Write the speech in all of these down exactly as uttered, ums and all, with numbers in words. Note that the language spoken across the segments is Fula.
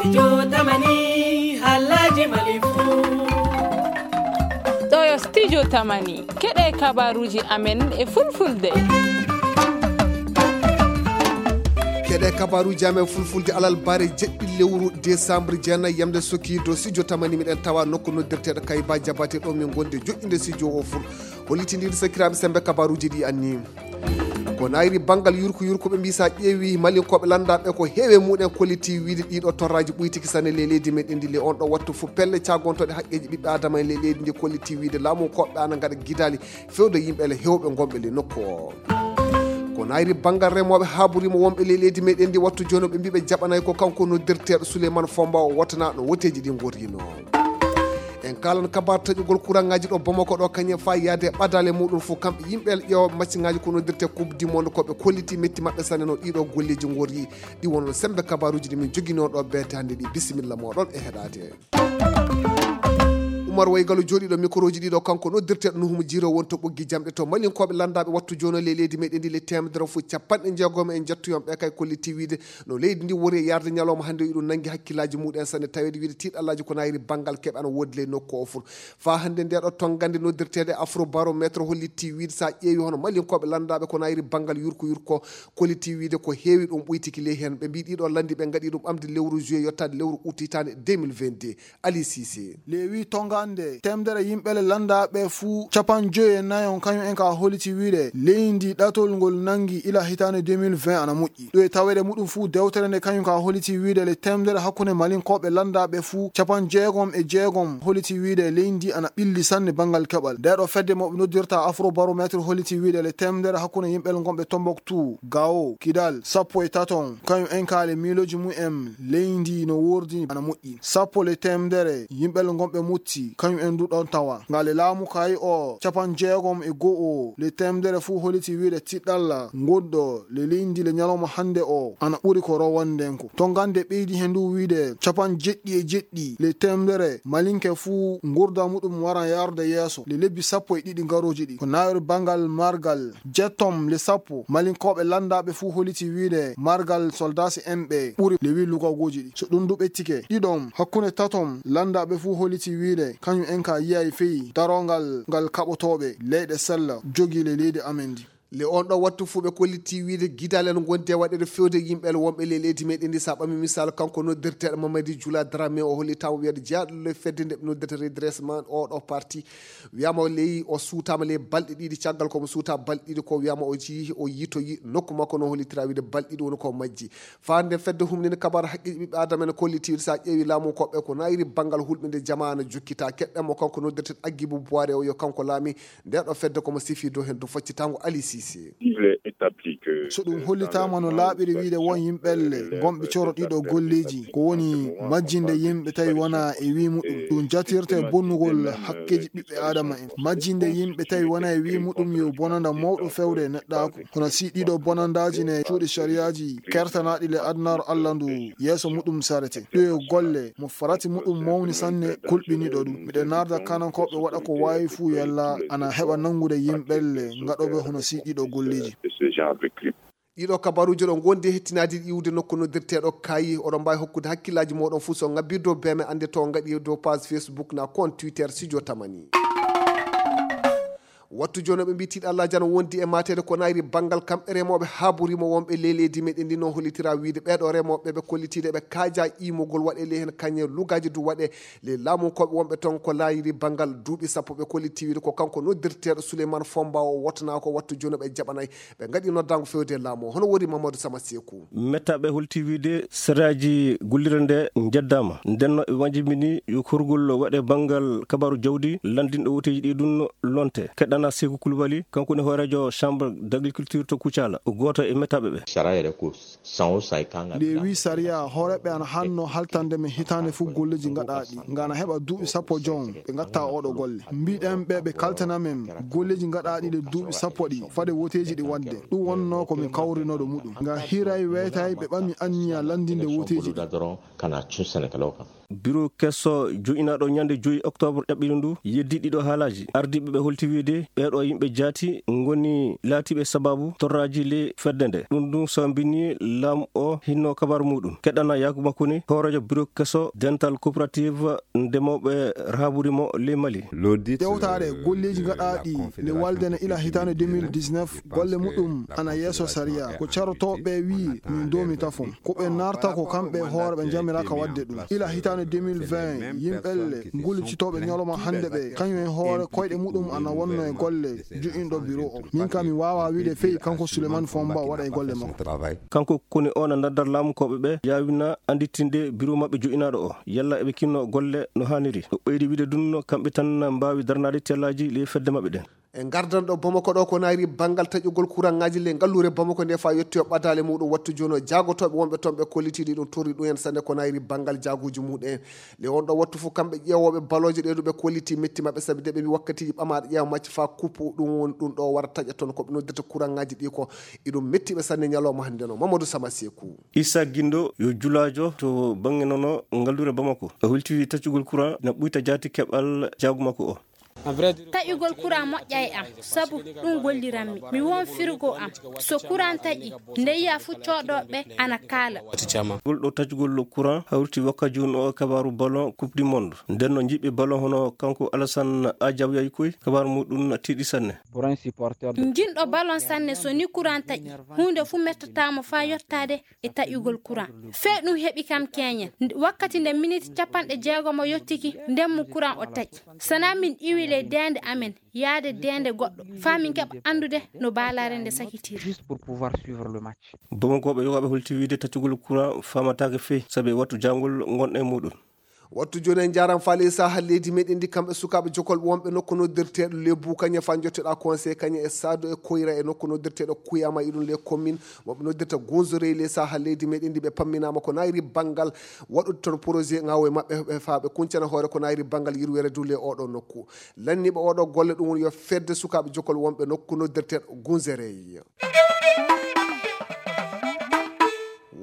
Studio Tamani, halaji Mali fu. Ɗo yo Studio Tamani, keɗe kabaruji amen e fulfulde. Keɗe kabaruji amen fulfulde alal bare jeɗɗi lewru décembre jeenayi yamde soki do Studio Tamani miɗen tawa nokku noddirteɗo Kayba Jabate ɗo min gonde joɗɗinde studio o fur. Hollitindiɗo sakiraaɓe sembe kabaruji ɗi anni. Ko nayri bangal yurko yurko ɓe mbisa ƴeewi malinkoɓe landaɓe ko heewe muɗen kolliti wiide ɗiɗo torraji ɓuytiki sanne le leydi meɗen ndi le on ɗo wattu fu pelle cagontoɗe haqqeji ɓiɓɓe adama e le leydi ndi kolliti wiide laamu koɓɓe ana ngaɗa gidali fewde yimɓe le hewɓe gonɓe le nokku o. Ko nayri bangal remoɓe haburima wonɓe le leydi meɗen ndi wattu joni ɓe mbiɓe jaɓanay ko kanko noddirteɗo Souleymane Fomba o wotana no woteji ɗi gorrino. En kalan kabar taƴugol kurangaji ɗo Bamako ɗo kañe fa yaade ɓadale muɗum fu kamɓe yimɓe ƴeewa maccingaji ko noddirte coupe du monde ko ɓe kolliti metti maɓɓe sanne no ɗiɗo golleji gorri ɗi wono sembe kabaruji ɗi min jogino ɗo bete hande ɗi. Bisimilla moɗon e heɗade. Umar Waygalo joɗiɗo mikoroji ɗiɗo kanko noddirteɗo Nuhumu Jiro wonto ɓoggi jamɗe to malinkoɓe landaɓe wattu jono le leydi meɗen ndi le temedere fu capanɗe jeegom en jettoyon ɓe kay kolliti wiide no leydi ndi wori e yarde ñalawma hande iɗum nangi hakkillaji muɗen sanne tawede wiide tiɗallaji ko nayri bangal keɓe ana wodi ley nokku o fur. Fa hande nde ɗo tongande noddirtede afro barométre hollitti wiide sa ƴeewi hono malinkoɓe landaɓe ko nayri bangal yurko yurko kolliti wiide ko heewi ɗum ɓuytiki ley hen ɓe mbi ɗiɗo landi ɓe gaɗi ɗum ɓamde lewru juillet yottade lewru août hitande deux mille vingt-deux. Ali Cissé. Lewi tongande temedere yimɓe le landaɓe fu capan joyi e nayon kañum en ka holiti wiide leydi ɗatol ngol nangi ila hitande deux mille vingt ana moƴƴi ɗo e tawede muɗum fu dewtere nde kañum ka holiti wiide le temedere hakkunde malinkoɓe landaɓe fu capan jeegom e jeegom holiti wiide leydi ana ɓilli sanne bangal keɓal nde ɗo fedde moɓe noddirta afro barométre holiti wiide le temedere hakkunde yimɓe le gonɓe Tombouctou, Gao, Kidal sappo e taton kañum en ka le miiloji mumen leydi no wordi ana moƴƴi sappo le temedere yimɓe le gonɓe mutti kañum en du ɗon tawa ngale laamu kayi o capan jeegom e go'o le temedere fu holiti wiide tiɗɗalla ngonɗo le leydi le ñalawma hande o ana ɓuri ko rowande nden ko to gande ɓeydi he ndu wiide capan jeɗɗi e jeɗɗi le temedere malinke fu ngurda muɗum waran yarde yeeso le lebbi sappo e ɗiɗi garoji ɗi ko nawri bangal margal jettom le sappo malinkoɓe landaɓe fu holiti wiide margal soldasi en ɓe ɓuri le wi lugagoji ɗi so ɗum du ɓettike ɗiɗon hakkunde taton landaɓe fu holiti wiide kañum en ka yiyay feyi darongal ngal kaɓotoɓe leyɗe sella jogi le leydi amen ndi le on ɗo wattu fu ɓe kolliti wiide gidal en gondi e waɗede fewde yimɓe el wonɓe le leydi meɗen ndi sa ɓami misal kanko noddirteɗo Mamadi Jula Dramé o hollitama wiyede jeyaɗo le fedde nde ɓe noddirta redressement o ɗo parti wiyama o leyi o suutama le balɗe ɗiɗi caggal komo suuta balɗe ɗiɗi ko wiyama o jii o yitoyi nokku makko no hollitira wiide balɗe ɗiɗi woni ko majji fande fedde humnini kabar haqqeji ɓiɓɓe adama ene kolliti wiide sa ƴeewi laamu koɓɓe ko nayri bangal hulɓinde jamaana jokkita keɗɗen mo kanko noddirten Aggibu Boire o yo kanko laami nde ɗo fedde komo sifi dow hen dow faccitango Ali Cissé. Il est établi que so ɗum hollitama no laaɓiri wiide won yimɓelle gonɓe coro ɗiɗo golleji ko woni majjinde yimɓe tawi wona e wi muɗum ɗum jatirte bonnugol hakkeji ɓiɓɓe adama en majjinde yimɓe tawi wona e wi muɗum yo bonanda mawɗo fewde e neɗɗaku hono si ɗiɗo bonandaji ne cuuɗi shariyaji kertanaɗi le adnar Allah ndu yeeso muɗum sarete ɗo e golle mo farati muɗum mawni sanne kulɓiniɗo ɗum miɗen narda kanankoɓe waɗa ko wawi fuu yalla ana heɓa nangude yimɓelle gaɗoɓe hono si ɗiɗo golleji ɗiɗo kabaruji ɗo gondi e hettinadi iwde nokku noddirteɗo kayi oɗon mbawi hokkude hakkillaji moɗon fuu so ngabbi dow beme ande to gaɗi dow page Facebook na compte Twitter Studio Tamani. Wattu jooni ɓe mbi tiiɗalla jano wondi e matede ko nayri bangal kamɓe remoɓe haburima wonɓe ley leydi meɗen ndi no hollitira wiide ɓeɗo remoɓe ɓe kollitide ɓe kaaja imugol waɗe ley hen kañe lugaji du waɗe ley laamu koɓe wonɓe toon ko nayri bangal duuɓi sappo ɓe kolliti wiide ko kanko noddirteɗo Souleymane Fomba o wottana ko wattu jooni ɓe jaɓanay ɓe gaɗi noddango fewde laamu o hono woni Mamadou Sama Seku. Mettaɓe holti wiide seraaji gollirde nde njeddama ndenno ɓe majjimini yo korgol waɗe bangal kabaru jawdi landinɗo woteji ɗi ɗum lonte keɗɗana Seku Kulubali kanko woni hoorejo chambre d'agriculture to Kucala o goto e mettaɓe ɓe. Sariya ko san o san e kan nde wi sariya hooreɓe ana hanno haltande men hitande fof golleji gaɗaɗi ngana heɓa duuɓi sappo jon ɓe gatta oɗo golle mbiɗen ɓe ɓe kaltana men golleji gaɗaɗi ɗe duuɓi sappo ɗi fade woteji ɗi wadde ɗum wonno ko min kawrinoɗo muɗum nga hiray weytay ɓe ɓami anniya landinde woteji ɗi. Kana cun Senegal o kam. Biro keso jo'inaaɗo ñande joyi oktoobar ɗaɓɓiri ndu yeddi ɗiɗo haalaaji. Ardiiɓe ɓe holti wiide ɓeeɗo yimɓe jaati ngoni laatiiɓe sabaabu torraaji ley fedde nde. Ɗum ɗum sambini laam o hinno kabar muɗum. Keɗana Yakuba Kone, hooreejo biro keso dental coopérative ndemooɓe rahaburi mo ley Mali. Dewtaare golleeji gaɗaaɗi nde walde na ila hitaande deux mille dix-neuf, golle muɗum ana yeeso sariya. Ko carotooɓe ɓe wii min doomi tafon. Ko ɓe narta ko kamɓe hoore ɓe njamira ka waɗde ɗum. Ila hitaande deux mille vingt, yimɓelle ngullicitooɓe ñalawma hannde ɓe, kañum e hoore koyɗe muɗum ana wonno e golle jo'inɗo biro o. Min ka mi waawa wiide fey kanko Souleymane Fomba waɗa e golle makko. Kanko Kone o na naddar laamukooɓe ɓe yaawina annditinde biro maɓɓe jo'inaaɗo o, yalla eɓe kinno golle no haaniri. O ɓeydi wiide ɗum no kamɓe tan mbaawi darnaade tellaaji ley fedde maɓɓe ɗen. E ngardan ɗo Bamako ɗo ko nayri banngal taƴugol kuraŋŋaaji ley ngalluure Bamako nde faa yotti o ɓadaale muɗum wattu jooni o jaagotooɓe wonɓe toon ɓe kollitiiɗi ɗum torri ɗum en sanne ko nayri banngal jaaguuji muɗum en. Le on ɗo wattu fof kamɓe ƴeewooɓe balooje ɗe ɗum ɓe kolliti metti maɓɓe sabi de ɓe mbi wakkatiiji ɓamaaɗo ƴeewa macce faa kuppu ɗum woni ɗum ɗo wara taƴa toon ko ɓe noddirta kuraŋŋaaji ɗi ko iɗum metti ɓe sanne ñalawma hannde no Mamadou Sama Seeku. Issa Gindo yo julaajo to bannge nono ngalluure Bamako. O hulti taccugol kuraŋ na ɓuyta jaati keɓal jaagu makko o. Taƴugol kuraŋ moƴƴa e am, sabu ɗum golliranmi. Mi won firgo am. So kuraŋ taƴi, nde yiya fu cooɗooɓe ana kaala. Ngol ɗo taƴugol kuraŋ hawriti wakka jooni o e kabaaru ballon Coupe du Monde. Nden no jiɓɓe ballon hono kanko Alassane Ajaw yayi koy, kabaaru muɗum tiiɗi sanne. Jinɗo ballon sanne so ni kuraŋ taƴi, huunde fu mettataamo faa yottaade e taƴugol kuraŋ. Fee ɗum heɓi kam keeñen. Nde, wakkati nde miniti capanɗe jeegomo yottiki, nden mo kuraŋ o taƴi. Sana min iwi ley deende amen, yaade deende goɗɗo, faa min keɓa anndude no baalaare nde sakitiri. Juste pour pouvoir suivre le match. Bamakooɓe yogaaɓe holti wiide taccugol kuraŋ faamataake fey, sabi e wattu jaangol ngonɗen e muɗum. Wattu jooni en njaaram faa ley saaha leydi meɗen ndi kamɓe sukaaɓe jokol wonɓe nokku noddirteeɗo le Bukaña faa njotteɗaa conseil Kaña e Saado e Koyra e nokku noddirteeɗo Kuyama e ɗum le commune mo ɓe noddirta Gunzorey ley saaha leydi meɗen ndi ɓe pamminaama ko nayri banngal waɗude toon projet ŋaawo e maɓɓe ɓe faa ɓe kuncana hoore ko nayri banngal yirweere du le oɗo nokku. Lanniiɓe oɗo golle ɗum woni yo fedde sukaaɓe jokol wonɓe nokku noddirteeɗo Gunzorey.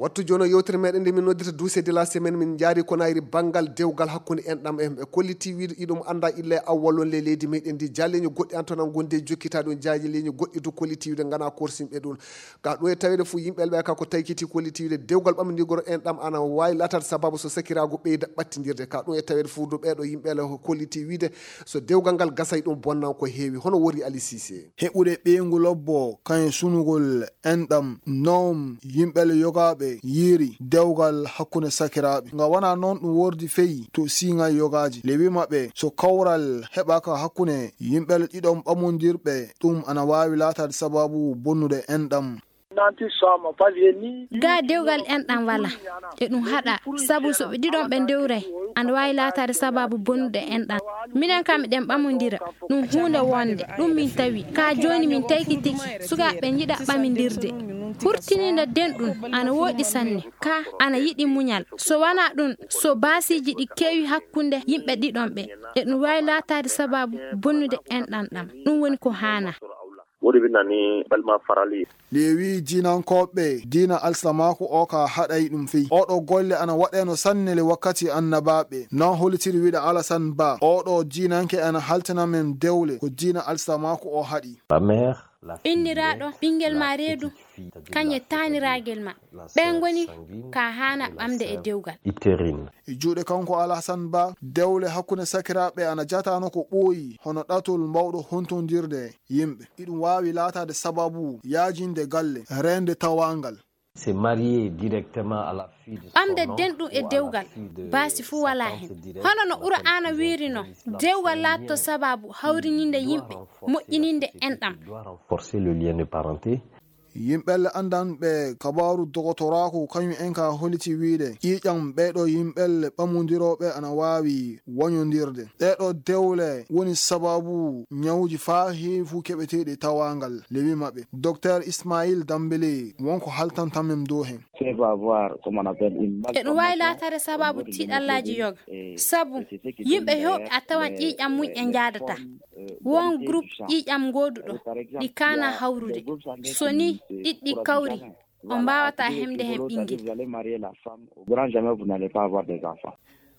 Wattu jooni o yewtere meɗen nde min noddirta Douce de la semaine min njaari ko nayri banngal dewgal hakkunde enɗam en ɓe kolliti wiide iɗum annda illa e awwal on le leydi meɗen ndi jaaleeño goɗɗi an toon an gondi e jokkita ɗum jaaleeño goɗɗi du kolliti wiide ngana korsinɓe ɗum ka ɗum e taweede fof yimɓe ɓe ka ko taykiti kolliti wiide dewgal ɓamndigol enɗam ana waawi laataade sababu so sakiraagu ɓeyda ɓattindirde ka ɗum e taweede fof du ɓeeɗo yimɓe le kolliti wiide so dewgal ngal gasay ɗum bonnan ko heewi hono wori Ali Cissé. Heɓude ɓeyngu lobbo kañum sunugol enɗam noom yimɓe le yogaaɓe yiiri dewgal hakkunde sakiraaɓe. Nga wonaa noon ɗum wordi fey to siiŋay yogaaji. Le wi maɓɓe so kawral heɓaaka hakkunde yimɓe le ɗiɗon ɓamondirɓe ɗum ana waawi laataade sababu bonnude enɗam. Gaa dewgal enɗam walaa. E ɗum haɗa sabu so ɓe ɗiɗon ɓe ndewray ana waawi laataade sababu bonnude enɗam. Minen kam miɗen ɓamondira ɗum huunde wonde ɗum min tawi ka jooni min taykitiki sukaaɓe njiɗa ɓamindirde hurtinina denɗum ana wooɗi sanne ka ana yiɗi muñal so wanaa ɗum so baasiiji ɗi keewi hakkunde yimɓe ɗiɗon ɓe e ɗum waawi laataade sababu bonnude enɗam ɗam ɗum woni ko haanaa. Woɗi ɓe nani balma farali. Lewi jiinankooɓe diina alsilamaaku o ka haɗay ɗum fey oɗo golle ana waɗeno sannele wakkati annabaaɓe non holitiri wiɗa alasan ba oɗo diinanke ana haltina men dewle ko diina alsilamaaku o haɗi. Inniraaɗo ɓinngel ma reedu kañe taaniraagel ma ɓen ngoni ka haana ɓamde e dewgal. E juuɗe kanko alhasan ba dewle hakkunde sakiraaɓe ana jatano ko ɓooyi hono ɗatol mbawɗo hontondirde yimɓe iɗum waawi laataade sababu yaajinde galle reende tawaangal. Ɓamde denɗum e dewgal baasi fuu walaa heen. Hono no qur'aana wiiri noon, dewgal laatto sabaabu hawrininde yimɓe, moƴƴininde enɗam. Yimɓelle anndanɓe kabaaru dogotoraaku kañum en ka holiti wiide ƴiiƴam ɓeeɗo yimɓelle ɓamondirooɓe ana waawi wañondirde. Ɗeeɗo dewle woni sababu ñawuuji faa heewi fuu keɓeteeɗi tawaangal lewi maɓɓe. Dokteer Ismaayil Dambele won ko haltanta men dow heen. Eɗum waawi laataade sababu tiiɗallaaji yoga, sabu yimɓe heewɓe a tawan ƴiiƴam mum en njaadataa. Won groupe ƴiiƴam ngooduɗo ɗi kaana hawrude. So nii ɗiɗɗi kawri, on mbaawataa heɓde heen ɓinngel.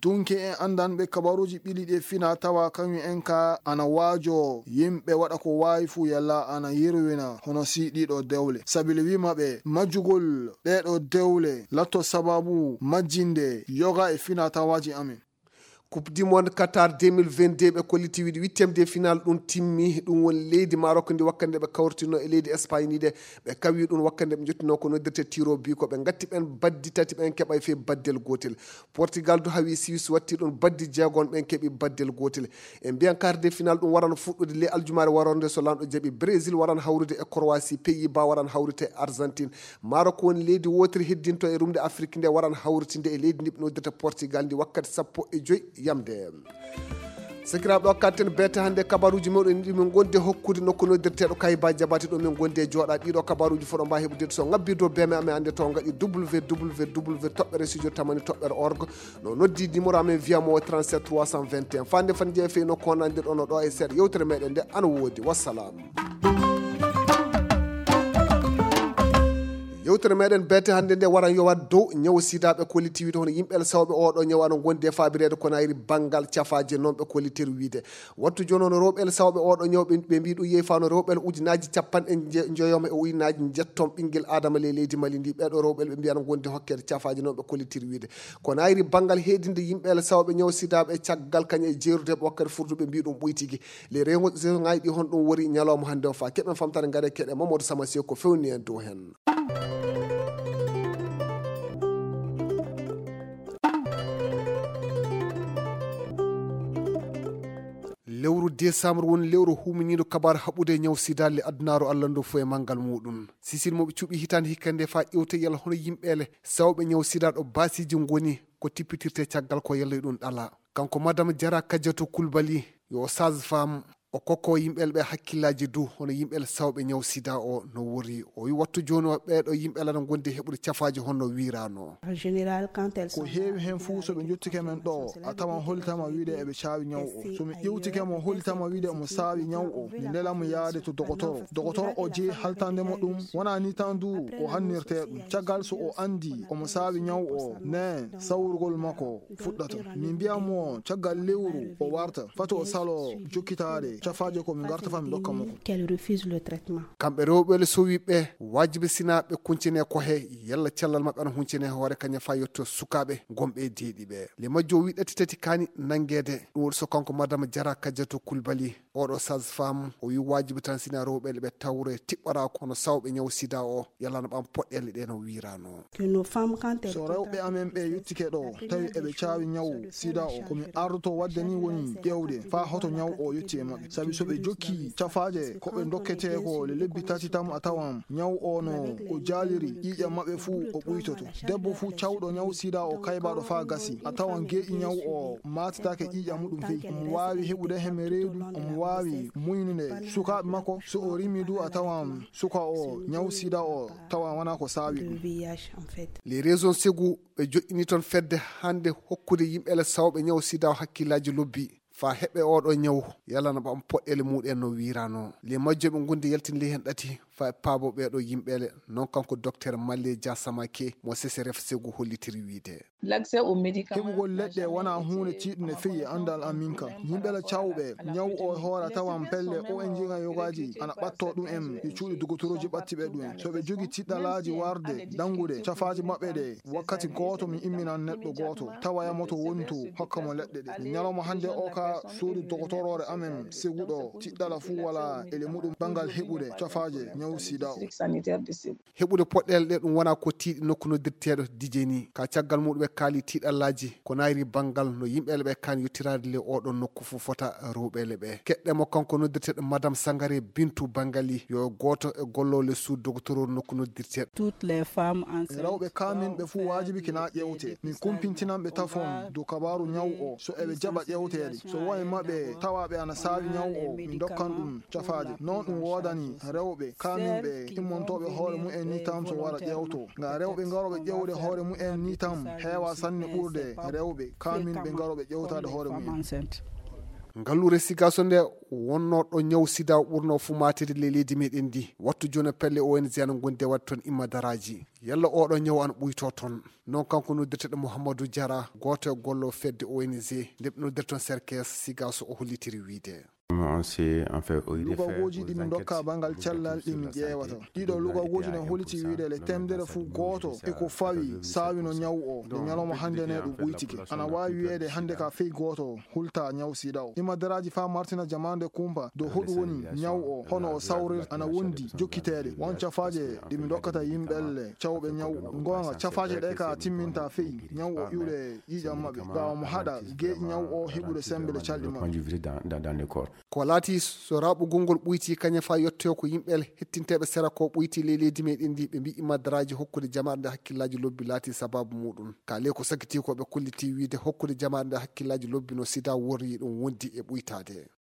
Tunke en anndanɓe kabaruuji ɓili ɗi e fina tawa kañum en ka ana waajo yimɓe waɗa ko waawi fuu yalla ana yirwina hono si ɗiɗo dewle. Sabili wiima ɓe majjugol ɗeeɗo dewle latto sababu majjinde yoga e fina tawaaji amen. Coupe du monde Qatar deux mille vingt-deux ɓe kolliti wiide huitième de finale ɗum timmi. Ɗum woni leydi Maroc ndi wakkande ɓe kawrtino e leydi Espagne ndi de. Ɓe kawi ɗum wakkande ɓe jottino ko noddirte tiro bi ko ɓe ngatti ɓen baddi tati ɓen keɓay fii baddel gootel. Portugal du hawi Suisse watti ɗum baddi jeegon ɓen keɓi baddel gootel. E mbiyan quart de finale ɗum waran fuɗɗude le aljumaare warande so lanɗo jaɓi. Brésil waran hawrude e Croatie, Pays-Bas waran hawrude e Argentine. Maroc woni leydi wootiri heddinto e rumde Afrique nde waran hawritinde e leydi ndi ɓe noddirta Portugal ndi wakkati sappo e joy yamde. Sakiraaɓe, o katten beete hannde kabaruuji meɗen ɗi min gondi hokkude nokku noddirteeɗo Kayba Jabate ɗo min gondi e jooɗa ɗiɗo kabaruuji fof ɗo mbawi heɓude so ngabbi dow beme amen hannde to ngaɗi w w w toɓɓere studio tamani toɓɓere org. No noddi numéro amen wiya mo trente-sept trois cent vingt et un. Fande fan jeefe no konande ɗo no ɗo e seeɗa yewtere meɗen nde ana woodi. Wassalam. Yewtere meɗen beete hannde nde waran yowat dow ñaw sida ɓe kolliti wiide hono yimɓe sawɓe oɗo ñaw ana gondi e faabireede ko nayri banngal cafaaje non ɓe kollitiri wiide. Wattu jooni on rewɓe sawɓe oɗo ñaw ɓe, ɓe mbi ɗum yehi fano rewɓe ujunaaji capanɗe nje-, njoyoma e ujunaaji njetton ɓinngel Adama ley leydi Mali ndi. Ɓeɗo rewɓe ɓe mbiya ana gondi hokkede cafaaje non ɓe kollitiri wiide. Ko nayri banngal heedinde yimɓe sawɓe ñaw sida ɓe caggal kañe e jeerude ɓe wakkati furduɓe mbi ɗum ɓoytigi. Les régions ngaji ɗi hon ɗum wori ñalawma hannde o fa keɓen famtare ngare keɗe Mamadou Sama Sey ko fewni en dow hen. Lewru décembre woni lewru huminiiɗo kabaru haɓude e ñaw sida le adunaaru Allah ndu fof e manngal muɗum. Sisil mo ɓe cuɓi hitaande hikka nde fa ƴewte yalla hono yimɓeele sawɓe ñaw sida ɗo baasiji ngoni ko tippitirte caggal ko yalla ɗum ɗala. Kanko Madame Jara Kadiatou Koulibaly yo sage-femme o kokko yimɓe ɓe hakkillaaji du hono yimɓe sawɓe ñaw sida o no wori. O wi wattu jooni o ɓeeɗo yimɓe lana gondi heɓude cafaaji honno wiirano. En général, quand elles ko sont heewi là, heen fof so ɓe njottike men ɗo a tawan hollitama wiide eɓe caawi ñaw o. So mi ƴewtike mo hollitama wiide omo saawi ñaw o, mi nela mo yaade to dogotoro. Dogotoro o jeyi haltande mo ɗum, wona ni tan du o hannirte ɗum. Caggal so o anndi omo saawi ñaw o, ne sawrugol makko fuɗɗata. Min mbiyan mo caggal lewru o warta, fati o salo jokkitaade cafaaje ko min ngarta fa min ndokka mo ko. Qu'elle refuse le traitement. Kamɓe rewɓe le sowi ɓe waajibi sina ɓe kuncine ko he yalla cellal maɓɓe ana huncine hoore kañum fa yetto sukaaɓe gonɓe e deeɗi ɓe. Le majjo wi ɗati tati kani nanngeede. Ɗum woni so kanko Madame Jara Kadiatou Koulibaly, oɗo sage-femme, o wi waajibi tan sina rewɓe le ɓe tawre tiɓɓora kono sawɓe ñaw sida o yalla no ɓam poɗɗele ɗe no wiirano. Que nos femmes, quand elles so rewɓe amen ɓe yettike ɗo tawi eɓe caawi ñaw sida o, ko mi ardoto waɗde ni woni ƴeewde faa hoto ñaw o yetti e maɓɓe. Sabi so ɓe jokki cafaaje ko ɓe ndokketee ko le lebbi tati tan a tawan ñaw o no o jaaliri ƴiiƴam maɓɓe fuu o ɓuytoto. Debbo fuu cawɗo ñaw sida o kaybaɗo faa gasi a tawan geeƴi ñaw o maatitaake ƴiiƴam muɗum fey. Omo waawi heɓude heme reedu, omo waawi muynude sukaaɓe makko. So o rimi du a tawan suka o ñaw sida o tawa wona ko saawi ɗum. Les raisons segu ɓe joƴƴini toon fedde hannde hokkude yimɓe le sawɓe ñaw sida o hakkillaaji lobbi fa heɓe oɗo ñaw yalana ɓam poɗɗele muɗen no wiirano. Le majjo ɓe gondi yaltinde heen ɗati fa e paabo ɓeɗo yimɓele non kanko docteur Malle Dia Samake mo C C R F segu hollitiri wiide. L'accès aux médicaments. Heɓugol leɗɗe wona huunde tiiɗunde feyi e anndal amin ka. Yimɓe la cawɓe ñaw o e hoore a tawan pelle O N G nga yogaaji ana ɓatto ɗum en e cuuɗi dogotoroji ɓatti ɓe ɗum en. So ɓe jogi tiɗɗalaaji warde danngude cafaaji maɓɓe ɗe wakkati gooto mi imminan neɗɗo gooto tawa yamoto woni to hokka mo leɗɗe ɗe. Ñalawma hannde o ka suudu dogotoroore amen seguɗo tiɗɗala fuu wala ele muɗum banngal heɓude cafaaje ñaw sida o. Heɓude poɗɗeele ɗe ɗum wona ko tiiɗi nokku noddirteeɗo Dijeni. Ka caggal muɗum ɓe kaali tiiɗallaaji ko nayri banngal no yimɓeele ɓe kaan yottiraade le oɗon nokku fof fota rewɓeele ɓe. Keɗɗe mo kanko noddirteeɗo Madame Sangare Bintu Bangali yo gooto e golloole suudu dogotororu nokku noddirteeɗo. Toutes les femmes enceintes. Rewɓe kaaminɓe fuu waajibi kina ƴeewte. Min kumpintinan ɓe tafon dow kabaaru ñaw o so eɓe jaɓa ƴeewteede. So won e maɓɓe tawa ɓe ana saawi ñaw o min ndokkan ɗum cafaaje. Non ɗum woodani rewɓe kaaminɓe immontooɓe hoore mumen ni tan so wara ƴeewto. Nga rewɓe ngarooɓe ƴeewde hoore mumen ni tan heewa sanne ɓurde rewɓe kaaminɓe ngarooɓe ƴeewtaade hoore mumen. Ngalluure Sigaso nde wonnoo ɗo ñaw sida ɓurnoo fumaatiri ley leydi meɗen ndi. Wattu jooni pelle O N G ana ngondi e waɗde toon immadaraaji. Yalla oɗo ñaw ana ɓuytoo toon? Non kanko noddirteɗo Mouhamadou Diarra, gooto e gollo fedde O N G, nde ɓe noddiri toon Serkes Sigaso, o hollitiri wiide. Lugawooji ɗi min ndokka banngal cellal ɗi min ƴeewata. Ɗiɗo lugawooji ne holiti wiide le temedere fof gooto e ko fawi saawi no ñaw o. Nde ñalawma hannde ne ɗum ɓuytike. Ana waawi wiyeede hannde ka fey gooto hulta ñaw sida o. Immadaraaji faa martina jamaande kumpa dow hoɗum woni ñaw o, hono o sawrir ana wondi jokkiteede. Won cafaaje ɗi mi ndokkata yimɓelle cawɓe ñaw o. Ngoonga, cafaaje ɗe ka timminta fey ñaw o iwde ƴiiƴam maɓɓe. Ɓaawo mo haɗa geeƴi ñaw o heɓude sembe le calɗi maɓɓe. Ko laati so raɓugol ngol ɓuyti kañum faa yettoyo ko yimɓe hettinteeɓe sera ko ɓuyti ley leydi meɗen ndi, ɓe mbiyi immadaraaji hokkude jamaare nde hakkillaaji lobbi laati sabaabu muɗum. Ka ley ko sakitii ko ɓe kolliti wiide hokkude jamaare nde hakkillaaji lobbi no sida worri ɗum wondi e ɓuytaade.